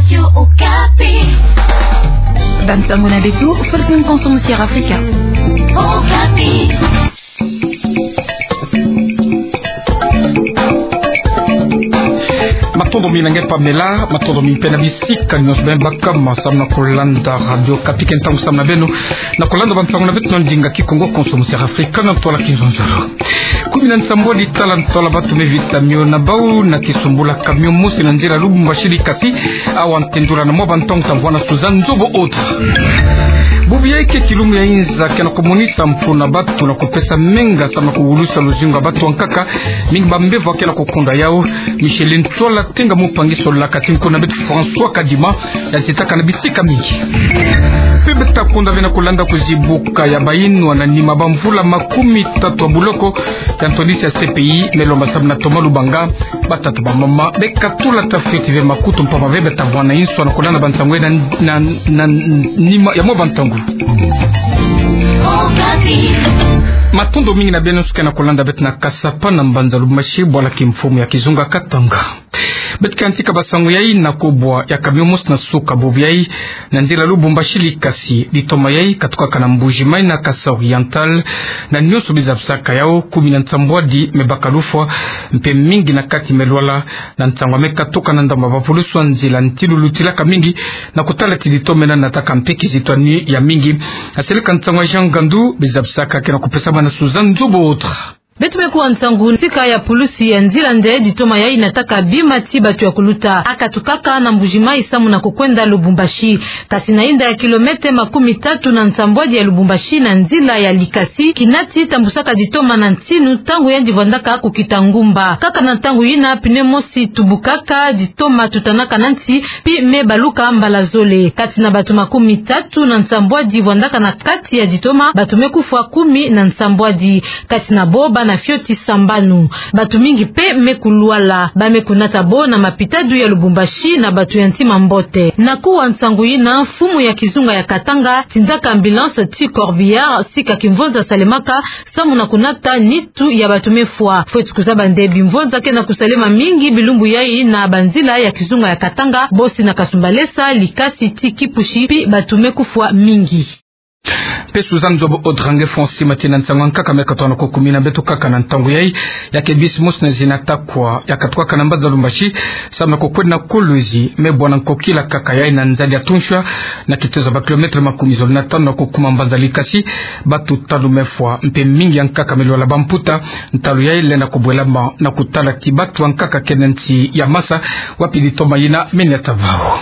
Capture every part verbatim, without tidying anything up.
Radio Okapi. Bansango na beto, furtun konsomo sia Afrika. Okapi. Matondo mingi na nge Pamela, matondo mingi mpe na bisika nyonso beno baka ma samu na kulanda Radio Okapi. Ke ntangu samu na beno na kulanda bansango na beto na ndinga Kikongo konsomo sia Afrika na ntwala Kinzonzolo. Kumi na nsambwadi tala ntwala batu me vita mio na bau na kisumbula camion mosi na nzila Lubumbashi Likasi, awa ntendula na mwa bantangu ta vwanda suza nzobo otra. Bubu yai ke kilumbu ya inza ke na kumonisa mfunu na batu na kupesa menga samu na kuwulusa luzingu ya batu ya nkaka, mingi bambevo ke na kukunda yau. Micheline Ntsoala Tenga Mupangi solaka ti nko na beto François Kadima, ya zitaka na bisika mingi. Mpe beta kunda ve na kulanda kuzibuka ya bayinwa na nima bamvula makumi tatu ya buloko ya ntwadisi ya C P I me lomba samu na Thomas Lubanga. Batata, bamama, beka tula ta fioti ve makutu mpamba ve beta vwanda inso na kulanda bansango na, na, na nima ya mwa bantangu. Matondo mingi na beno nyonso ke na kulanda beto na Kasapa na mbanza Lubumbashi, bwala kimfumu ya kizunga Katanga. Beto ke yantika bansango yai na kubwa ya camion mosi na suka bubu yai na nzila Lubumbashi Likasi. Ditoma yai katukaka na Mbuji-Mayi na Kasaï Oriental, na nyonso bizabisaka yau, kumi na nsambwadi me baka lufwa, mpe mingi na kati me lwala. Na nsangu ya me katuka na ndambu ya bapulusu ya nzila nti lulutilaka mingi, na kutala ti ditoma ina nataka mpe kizitwani ya mingi. Na seleka nsangu ya Jean Ngandu, bizabisaka ke na kupesama na suza nzobo otra. Beto me kuwa nsangu ntika ya pulusi ya nzila nde ditoma yai nataka bima ti batu ya kuluta. A katukaka na Mbuji-Mayi samu na kukwenda Lubumbashi. Kasi na inda ya kilomètre makumi tatu na nsambwadi ya Lubumbashi na nzila ya Likasi, kina ti tambusaka ditoma na ntinu ntangu yandi vwandaka kukita ngumba. Kaka na ntangu yina pneu mosi tubukaka, ditoma tutanaka na nsi, pi me baluka mbala zole. Kati na batu makumi tatu na nsambwadi vwandaka na kati ya ditoma, batu me kufwa kumi na nsambwadi. Kati na bo bana fioti sambanu. Batu mingi mpe me kulwala. Ba me kunata bo na mapitadu ya Lubumbashi na batu ya ntima mbote. Na kuwa nsangu yina, mfumu ya kizunga ya Katanga tindaka ambulance ti Corbillard, sika kimvonza salemaka samu na kunata nitu ya batu me fwa. Fweti kuzaba nde bimvonza ke na kusalema mingi bilumbu yai na banzila ya kizunga ya Katanga, bosi na Kasumbalesa, Likasi ti Kipushi, pi batu me kufwa mingi. Mpe suza nzobo otra, nge Francis Mati, na nsangu ya nkaka me katwa na kukumina beto kaka na ntangu yai, ya ke bisi mosi na zina Takwa ya katukaka na mbanza Lubumbashi samu na kukwenda na Kolwezi, me bwana nkokila kaka yai na nzadi ya Tunshwa, na kitezo ya bakilomètre makumi zole na tanu na kukuma mbanza Likasi. Batu tanu me fwa, mpe mingi ya nkaka me lwala bamputa. Ntalu yai lenda kubwelama na kutala ti batu ya nkaka ke na nsi ya masa, wapi ditoma yina me niata bau.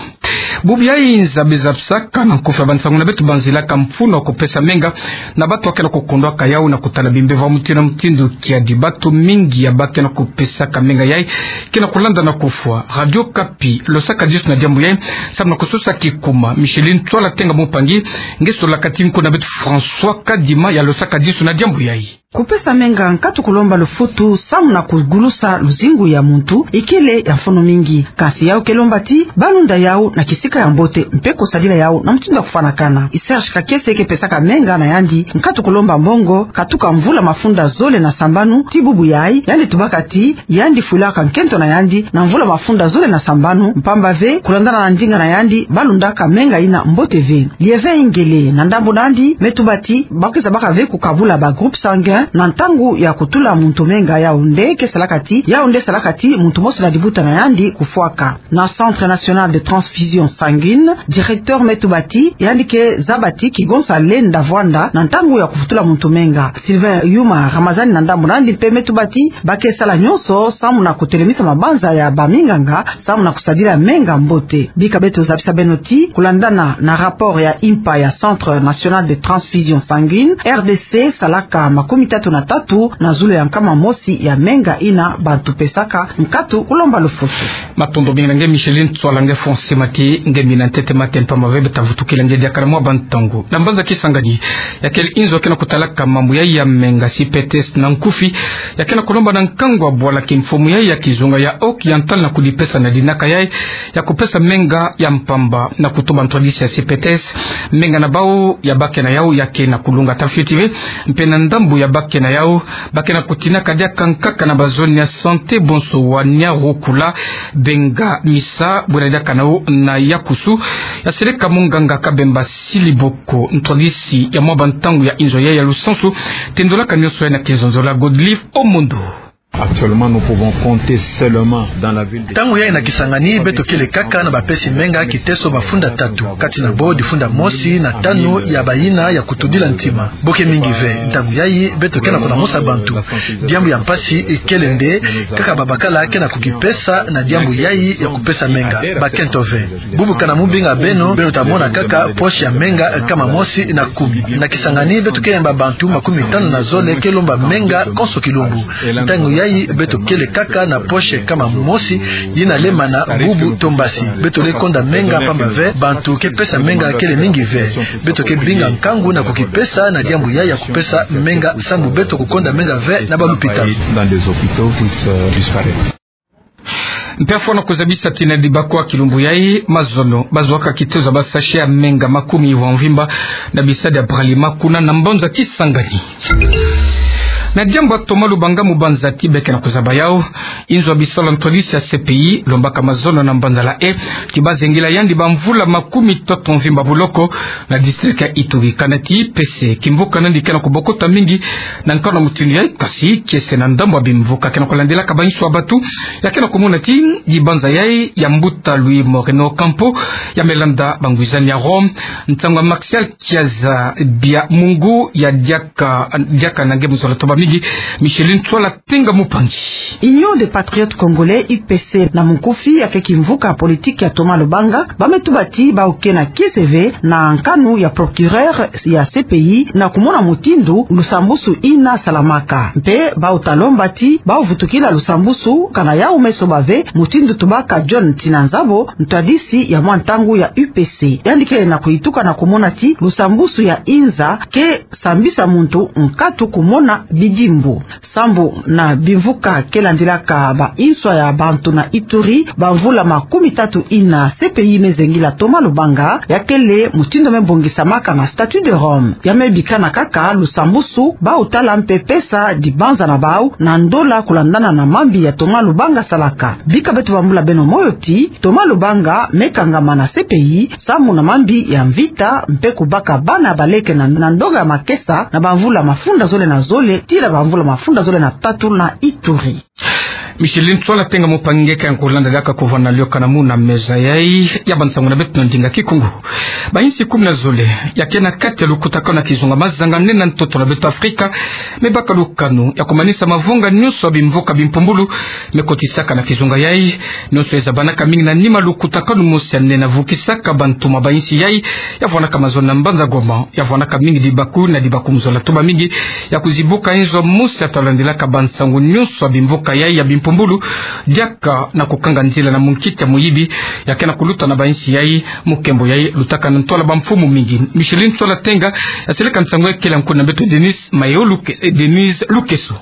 Bubu yai nza bizabisaka na nkufi ya bansangu na beto banzilaka mfunu wa kupesa menga na batu ya ke na kukundwaka yau na kutala bimbevo ya mutindu na mutindu, kiadi batu mingi ya ba ke na kupesaka menga yai ke na kulanda na kufwa. Radio Okapi losaka disu na diambu yai samu na kusosa kikuma. Micheline Ntsoala Tenga Mupangi nge solaka ti nko na beto François Kadima ya losaka disu na diambu yai. Kupesa menga nkatu kulomba lufutu samu na kugulusa luzingu ya muntu ikele ya mfunu mingi. Kasi yau ke lomba ti balunda yau na kisika ya mbote mpe kusadila yau na mutindu ya kufwanakana. Serge Kakese ke pesaka menga na yandi nkatu kulomba mbongo katuka mvula mafunda zole na sambanu ti bubu yai, yandi tubaka ti yandi fwilaka nkento na yandi na mvula mafunda zole na sambanu, mpamba ve kulandana na ndinga na yandi balundaka menga ina mbote ve. Lieve Ingele na ndambu na yandi me tuba ti ba kwiza baka ve kukabula ba groupe sanguin na ntangu ya kutula muntu menga, yau nde ke salaka ti, yau nde salaka ti muntu mosi na libuta na yandi kufwaka. Na Centre National de Transfusion Sanguine, directeur me tuba ti yandi ke zaba ti kigonsa lenda vwanda na ntangu ya kufutula muntu menga. Sylvain Yuma Ramazani na ndambu na yandi mpe me tuba ti ba ke sala nyonso samu na kutelemisa mabanza ya baminganga samu na kusadila menga mbote. Bika beto zabisa beno ti kulandana na rapport ya impa ya Centre National de Transfusion Sanguine, R D C salaka makumi tatu na tatu na zulu ya nkama mosi ya menga ina bantu pesaka nkatu kulomba lufutu. Matondo mingi na nge Micheline Ntsoala, nge Francis Mati nge mina ntete mate mpamba ve beta vutukila nge diaka na mwa bantangu. Na mbanza Kisangani, ya kele inzo ke na kutalaka mambu yai ya menga, C P T S na nkufi, ya ke na kulomba na nkangu wa bwala kimfumu yai ya kizunga ya Oriental na kudipesa na dinaka yai ya kupesa menga ya mpamba na kutuba ntwadisi ya C P T S. Menga na bau ya ba ke na yau ya ke na kulunga ta fioti ve, mpe na ndambu ya ba Ke na yau, ba ke na kutinaka diaka nkaka na bazone ya santé bonso wa Niarukula, Benga, Misa, bwela diaka nao na Yakusu, ya seleka munganga Kabemba Siliboko, ntwadisi ya mwa bantangu ya inzo ya, ya lusansu, tendolaka nionso ya na kizonzola Godlive Omondo. Actuellement, nous pouvons compter seulement dans la ville de... Ntangu yai na Kisangani, beto kele kaka na bapesi menga kiteso mafunda tatu, kati na bo difunda mosi na tanu ya bayina ya kutudila ntima. Bo ke mingi ve, ntangu yai, beto ke na kulamusa bantu. Diambu ya mpasi ikele nde, kaka babakala ke na kukipesa na diambu yai ya kupesa menga. Bakento ve. Bubu kana mubinga beno, beno ta mona kaka poche ya menga kama mosi na kumi. Na Kisangani beto ke yamba bantu makumi tanu na zole ke lomba menga konso kilumbu. Ntangu yai beto kele kaka na poche kama mosi, yina lembana bubu to mbasi. Beto le konda menga pamba ve, bantu ke pesa menga kele mingi ve. Beto ke binga nkangu na kukipesa na diambu yai ya kupesa menga, sambu beto kukonda menga ve na balupitalu. Dans les hôpitaux puisse, euh, disparaître. Mpe fwana kuzabisa ti na dibakwa kilumbu yai, mazono bazuaka kitezo ya basachet ya menga makumi wa mvimba na bisadi ya Bralima kuna na mbanza Kisangani. Na diambu ya Thomas Lubanga, mubanzaki be ke na kuzaba yau inzo ya bisalu ya ntwadisi ya C P I, lombaka mazono na mbanza la E, ti bazengila yandi bamvula makumi tatu mvimba boloko na district ya Ituri. Kanaki pese kimvuka nandi ke na kubokota mingi na nkanu ya mutindu yai, kasi kiese na ndambu ya bimvuka ke na kulandilaka bainso ya batu, ya ke na kumona ti dibanza yai ya mbuta Luis Moreno Ocampo, ya me landa bangwizani ya Rome, ntangu ya Martial Chiaza Biamungu ya diaka, diaka na nge mu zola toba mingi, Micheline Tswala Tenga Mupangi. Union des Patriotes Congolais, U P C na munkufi, ya ke kimvuka ya politiki ya Thomas Lubanga, ba me tuba ti bau ke na kiese ve na nkanu ya procureur ya C P I na kumona mutindu lusambusu ina salamaka. Mpe bau ta lomba ti bau vutukila lusambusu, kana yau me soba ve, mutindu tubaka John Tsinanzabo, ntwadisi ya mwa ntangu ya U P C. Yandi ke na kuyituka na kumona ti lusambusu ya inza ke sambisa muntu nkatu kumona bidimbu. Sambu na bimvuka ke landilaka bainso ya bantu na Ituri, bamvula makumi tatu ina C P I me zengila Thomas Lubanga, ya kele mutindu me bongisamaka na Statut de Rome. Ya me bikana kaka lusambusu, bau tala mpe pesa dibanza na bau na ndola kulandana na mambi ya Thomas Lubanga salaka. Bika beto bambula beno moyo ti Thomas Lubanga me kangama na C P I, samu na mambi ya mvita, mpe kubaka bana ya baleke na, na ndonga ya makesa, na bamvula mafunda zole na zole, tii na bamvula mafunda zole na tatu na Ituri. Micheline Tswala Tenga Mupangi, nge ke na kulanda diaka kuvana lioka na muna meza yai ya bansangu na beto na ndinga Kikongo. Bainsi kumi na zole ya ke na kati ya lukutakanu na kizunga mazanga nene na ntoto na beto Afrika, me baka lukanu ya kumanisa mavunga nionso ya bimvuka bimpumbulu me kotisaka na kizunga yai. Nionso ezabanaka mingi na nima lukutakanu mosi ya nene vukisaka bantu ma bainsi yai, ya vwanaka mazono na mbanza Goma, ya vwanaka mingi dibaku na dibaku mu zola toba mingi, ya kuzibuka inzo mosi ya ta landilaka bansangu nionso ya bimvuka yai ya bimpumbulu, diaka na kukanga nzila na munkita ya muyibi, ya ke na kuluta na bainsi yai, mu nkembo yai lutaka na ntwala bamfumu mingi. Micheline Tswala Tenga, ya seleka nsangu yai kele nku na beto Denise Mayo Luke-, eh, Denise Lukeso.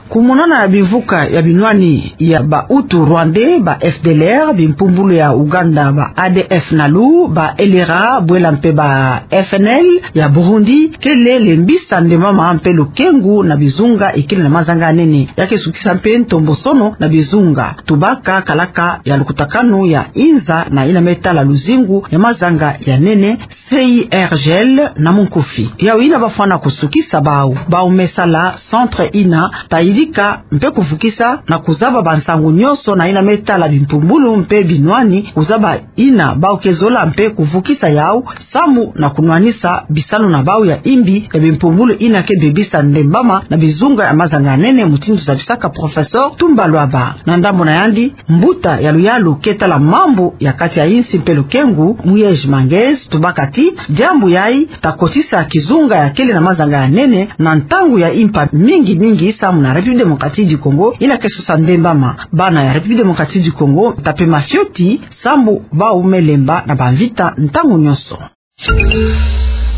Kumonana ya bimvuka ya binwani ya ba Hutu Rwandais, ba F D L R, bimpumbulu ya Uganda, ba A D F Nalu, ba L R A, bwela mpe ba F N L ya Burundi, kele lembisa ndemama mpe lukengu na bizunga ikele na mazanga ya nene. Ya ke sukisa mpe ntombosono na bizunga. Tubaka kalaka ya lukutakanu ya inza na ina me tala luzingu ya mazanga ya nene, C I R G L na munkufi. Yau ina bafwana kusukisa bau, bau me sala centre ina ta yidika mpe kuvukisa na kuzaba bansangu nionso na ina me tala bimpumbulu mpe binwani, kuzaba ina bau ke zola mpe kuvukisa yau, samu na kunwanisa bisalu na bau ya imbi ya bimpumbulu ina ke bebisa ndembama na bizunga ya mazanga ya nene, mutindu zabisaka professeur Tumba Luaba. Na ndambu na yandi, mbuta ya luyalu ke tala mambu ya kati ya insi mpe lukengu, Muyej Mangez, tubaka ti diambu yai ta kotisa kizunga ya kele na mazanga ya nene na ntangu ya impa mingi mingi, samu na République Démocratique du Congo ina ke sosa ndembama. Bana ya République Démocratique du Congo ta pema fioti, samu bau me lemba na bamvita ntangu nionso.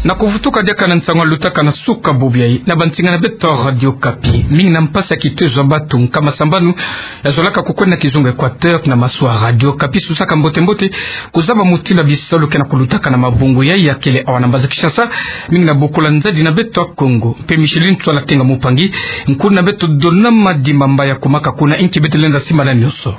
Na kuvutuka diaka na nsangu lutaka na suka bobi ayi na bansinga na beto Radio Okapi. Mingi na mpasi ya kitezo ya batu nkama sambanu ya zolaka kukwenda na kizunga Equateur na masuwa Radio Okapi. Susaka mbote-mbote kuzaba mutindu ya bisalu ke na kulutaka na mabungu yayi ya kele awa na mbanza Kinshasa, mingi na bokula nzadi na beto ya Kongo. Mpe Micheline Ntsoala Tenga Mupangi, nkulu na beto Donama Dimamba ya kumaka kuna, inki beto lenda simba na nionso.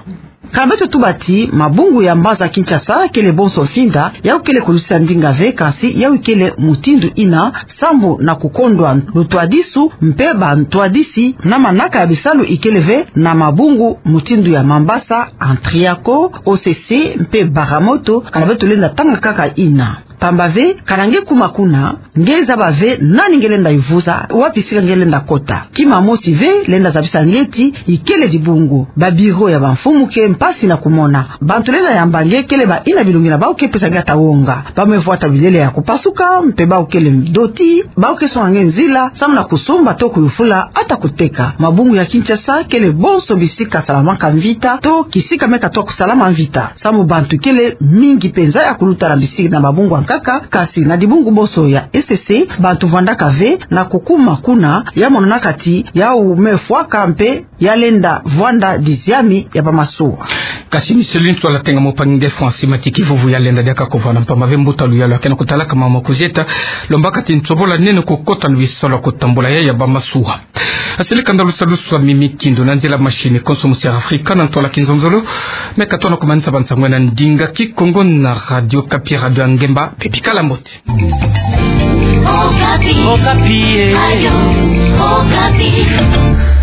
Kana beto tuba ti mabungu ya mbanza Kinshasa kele bonso mfinda, yawu kele kulutisa ndinga ve, kasi yawu kele mutindu ina sambu na kukondwa lutwadisu mpe bantwadisi na manaka ya bisalu ikele ve na mabungu mutindu ya Mambasa, Antriaco, O C C mpe Baramoto, kana beto lenda tanga kaka ina. Pamba ve, kana nge kuma kuna, nge zaba ve nani nge lenda ivuza, wapi sika nge lenda kota. Kima mosi ve lenda zabisa nge ti ikele dibungu. Ba bureau ya bamfumu ke mpasi na kumona. Bantu lenda yamba nge kele baina bilungi na bawu ke pesa nge ata wonga. Bawu me vwata bilele ya kupasuka, mpe bawu kele ndoti, bawu ke songa nge nzila, samu na kusumba to kuyufula, ata kuteka. Mabungu ya Kinshasa kele bonso bisika salamaka mvita, to kisika me katoa kusalama mvita. Samu bantu kele mingi mpenza ya kuluta na bisika na mabungu ya nkaka, kasi na dibungu bonso ya E C C, bantu vwandaka ve na kukuma kuna, ya monanaka ti yawu me fwaka mpe ya lenda vwanda diziami ya bamasuwa. Kasi Micheline Ntsoala Tenga Mupangi, nge fwa nsi mati kivuvu ya lenda diaka kuvwanda mpamba ve mbuta luyalu ya ke na kutalaka mama kuzieta, lombaka ti nsobola nene kukota na bisalu ya kutambula ya, ya bamasuwa. Asili kanda lusalusu wa Mimi Kindu na nzila machine, konso musi ya Afrika na ntwala kinzonzolo, me katoa na kumanisa bansangu na ndinga Kikongo na Radio Okapi, radio ya ngemba, mpe bikala mbote. Okapi. Okapi, eh. Radio Okapi.